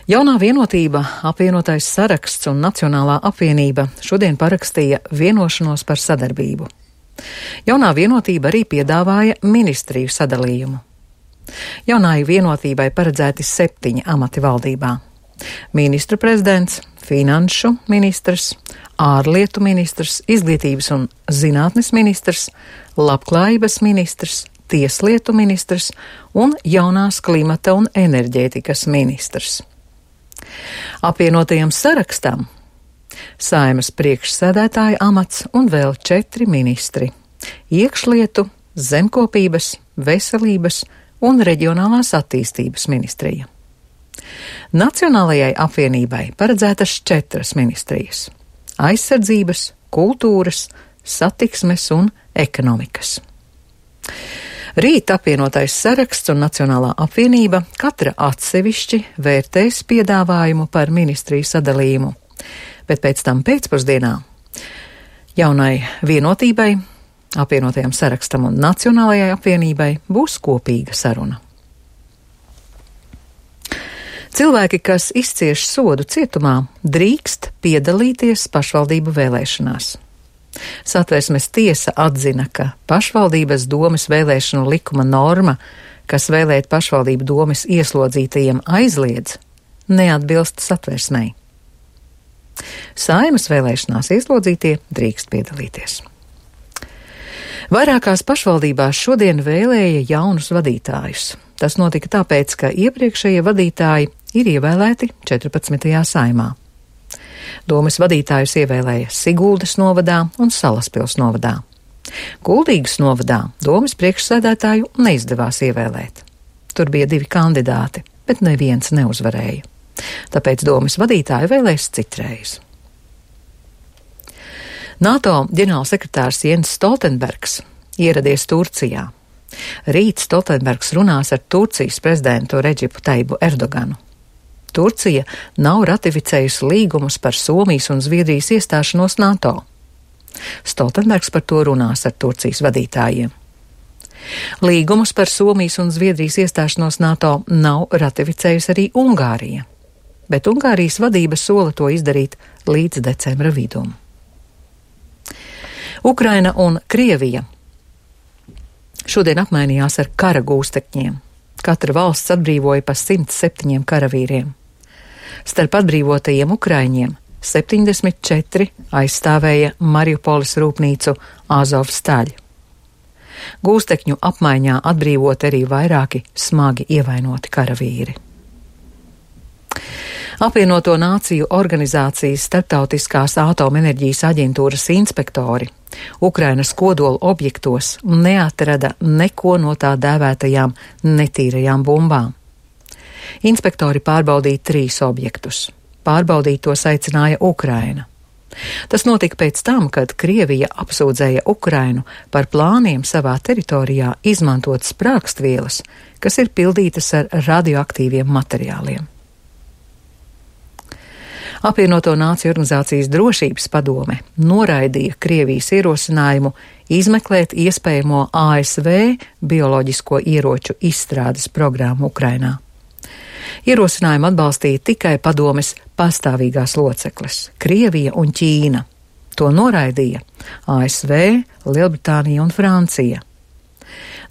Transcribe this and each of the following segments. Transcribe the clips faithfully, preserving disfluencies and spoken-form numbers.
Jaunā vienotība, apvienotais saraksts un Nacionālā apvienība šodien parakstīja vienošanos par sadarbību. Jaunā vienotība arī piedāvāja ministriju sadalījumu. Jaunai vienotībai paredzēti septiņi amati valdībā. Ministru prezidents, finanšu ministrs, ārlietu ministrs, izglītības un zinātnes ministrs, labklājības ministrs, tieslietu ministrs un jaunās klimata un enerģētikas ministrs. Apvienotajam sarakstam Saeimas priekšsēdētāja amats un vēl četri ministri - iekšlietu, zemkopības, veselības un reģionālās attīstības ministrija. Nacionālajai apvienībai paredzētas četras ministrijas - aizsardzības, kultūras, satiksmes un ekonomikas. Rīt apvienotais saraksts un Nacionālā apvienība katra atsevišķi vērtēs piedāvājumu par ministriju sadalījumu, bet pēc tam pēcpusdienā jaunai vienotībai, apvienotajam sarakstam un Nacionālajai apvienībai būs kopīga saruna. Cilvēki, kas izcieš sodu cietumā, drīkst piedalīties pašvaldību vēlēšanās. Satversmes tiesa atzina, ka pašvaldības domes vēlēšanu likuma norma, kas vēlēt pašvaldību domes ieslodzītajiem aizliedz, neatbilst satversmei. Saeimas vēlēšanās ieslodzītie drīkst piedalīties. Vairākās pašvaldībās šodien vēlēja jaunus vadītājus. Tas notika tāpēc, ka iepriekšējie vadītāji ir ievēlēti četrpadsmitajā saimā. Domes vadītājus ievēlēja Siguldas novadā un Salaspils novadā. Kuldīgas novadā domes priekšsēdētāju neizdevās ievēlēt. Tur bija divi kandidāti, bet neviens neuzvarēja. Tāpēc domes vadītāju vēlēs citreiz. NATO ģenerālsekretārs Jens Stoltenbergs ieradies Turcijā. Rīt Stoltenbergs runās ar Turcijas prezidentu Redžipu Taibu Erdoganu. Turcija nav ratificējusi līgumus par Somijas un Zviedrijas iestāšanos NATO. Stoltenbergs par to runās ar Turcijas vadītājiem. Līgumus par Somijas un Zviedrijas iestāšanos NATO nav ratificējusi arī Ungārija, bet Ungārijas vadība sola to izdarīt līdz decembra vidum. Ukraina un Krievija šodien apmainījās ar kara gūstekņiem. Katra valsts atbrīvoja pa simt septiņiem karavīriem. Starp atbrīvotajiem ukraiņiem septiņdesmit četri aizstāvēja Mariupoles rūpnīcu Azovstaļ. Gūstekņu apmaiņā atbrīvot arī vairāki smagi ievainoti karavīri. Apvienoto Nāciju organizācijas Starptautiskās atomenerģijas aģentūras inspektori Ukrainas kodola objektos neatrada neko no tā dēvētajām netīrajām bumbām. Inspektori pārbaudīja trīs objektus. Pārbaudīt tos aicināja Ukraina. Tas notika pēc tam, kad Krievija apsūdzēja Ukrainu par plāniem savā teritorijā izmantot sprākstvielas, kas ir pildītas ar radioaktīviem materiāliem. Apvienoto Nāciju organizācijas drošības padome noraidīja Krievijas ierosinājumu izmeklēt iespējamo A S V bioloģisko ieroču izstrādes programmu Ukrainā. Ierosinājumu atbalstīja tikai padomes pastāvīgās locekles - Krievija un Ķīna. To noraidīja A S V, Lielbritānija un Francija.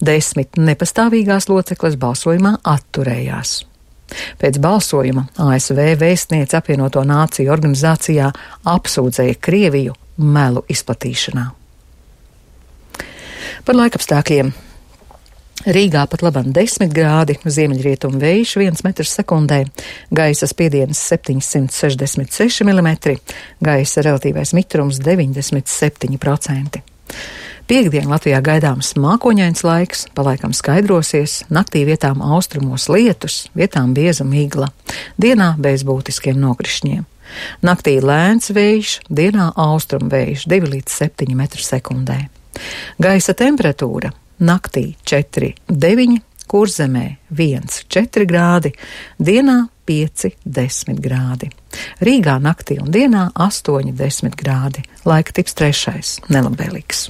Desmit nepastāvīgās locekles balsojumā atturējās. Pēc balsojuma A S V vēstniece Apvienoto Nāciju organizācijā apsūdzēja Krieviju melu izplatīšanā. Par laikapstākļiem. Rīgā pat labam desmit grādi, ziemeļrietumu vējš viens metrs sekundē, gaisa spiediens septiņsimt sešdesmit seši milimetri, gaisa relatīvais mitrums deviņdesmit septiņi procenti. Piektdien Latvijā gaidāms mākoņains laiks, pa laikam skaidrosies, naktī vietām austrumos lietus, vietām bieza migla, dienā bez būtiskiem nokrišņiem. Naktī lēns vējš, dienā austrumu vējš divi līdz septiņi metri sekundē. Gaisa temperatūra naktī četri deviņi, Kurzemē viens četri grādi, dienā pieci desmit grādi. Rīgā naktī un dienā astoņi desmit grādi, laika tips trešais, nelabvēlīgs.